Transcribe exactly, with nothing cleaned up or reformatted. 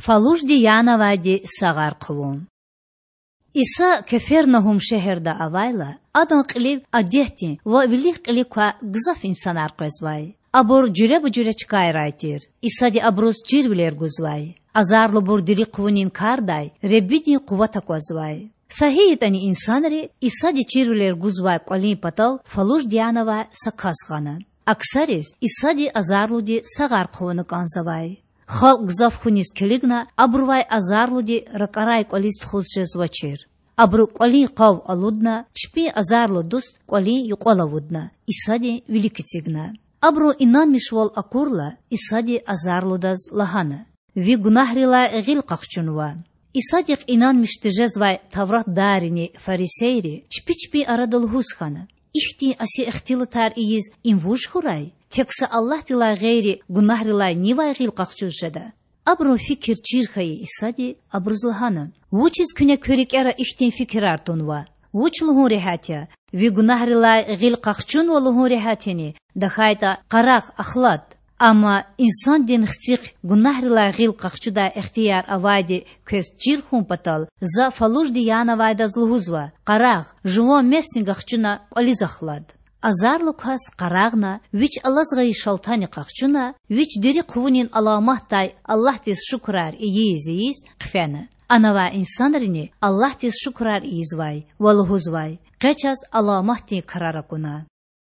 Фалужди янавайди сагъар хъувун. Иса Кефернагьум шегьерда авайла, Адан кьилив адетдин ва вилик-кьилик квай гзаф инсанар къвезвай. Абур жуьреба-жуьре чкайрай тир. Исади абуруз чирвилер гузвай. Азарлубур дири хъувунин кардай Худадин къуват аквазвай. Са гьи ятӀани инсанри Исади чирвилер гузвай кӀвалин патав фалужди янавай са кас гъана. Аксариз Исади азарлуди сагъар хъувуна кӀанзавай. Халкь гзаф хьуниз килигна, абурувай азарлуди ракӀарай кӀвализ тухуз жезвачир. Абуру кӀвалин къав алудна, чпин азарлу дуст кӀвалин юкьвал авудна, Исадин вилик эцигна. Абурун инанмишвал акурла, Исади азарлудаз лагьана: Ви гунагьрилай гъил къахчунва. Исадихъ инанмиш тежезвай тавратдаррини фарисейри чпи-чпин арада лугьуз хьана: Ихьтин аси ихтилатар ийиз им вуж хьурай? Тек са Аллагьдилай гъейри гунагьрилай нивай гъил къахчуз жеда? Абурун фикир чир хьайи Исади абуруз лагьана: Вучиз куьне куь рикӀера ихьтин фикирар тунва? Вуч лугьун регьят я? Ви гунагьрилай гъил къахчунва лугьун регьят яни, тахьайтӀа: Къарагъ, ахлад? Амма Инсандин Хцихъ гунагьрилай гъил къахчудай ихтияр авайди квез чир хьун патал, За фалужди янавайдаз лугьузва: Къарагъ, жуван месни гахчуна кӀвализ ахлад. Азарлу кас къарагъна, вич алаз гъайи шалтани къахчуна, вич дири хъувунин аламатдай Аллагьдиз шукурар ийиз-ийиз хъфена. Анавай инсанрини Аллагьдиз шукурар ийизвай ва лугьузвай: Къе чаз аламатдин крар акуна.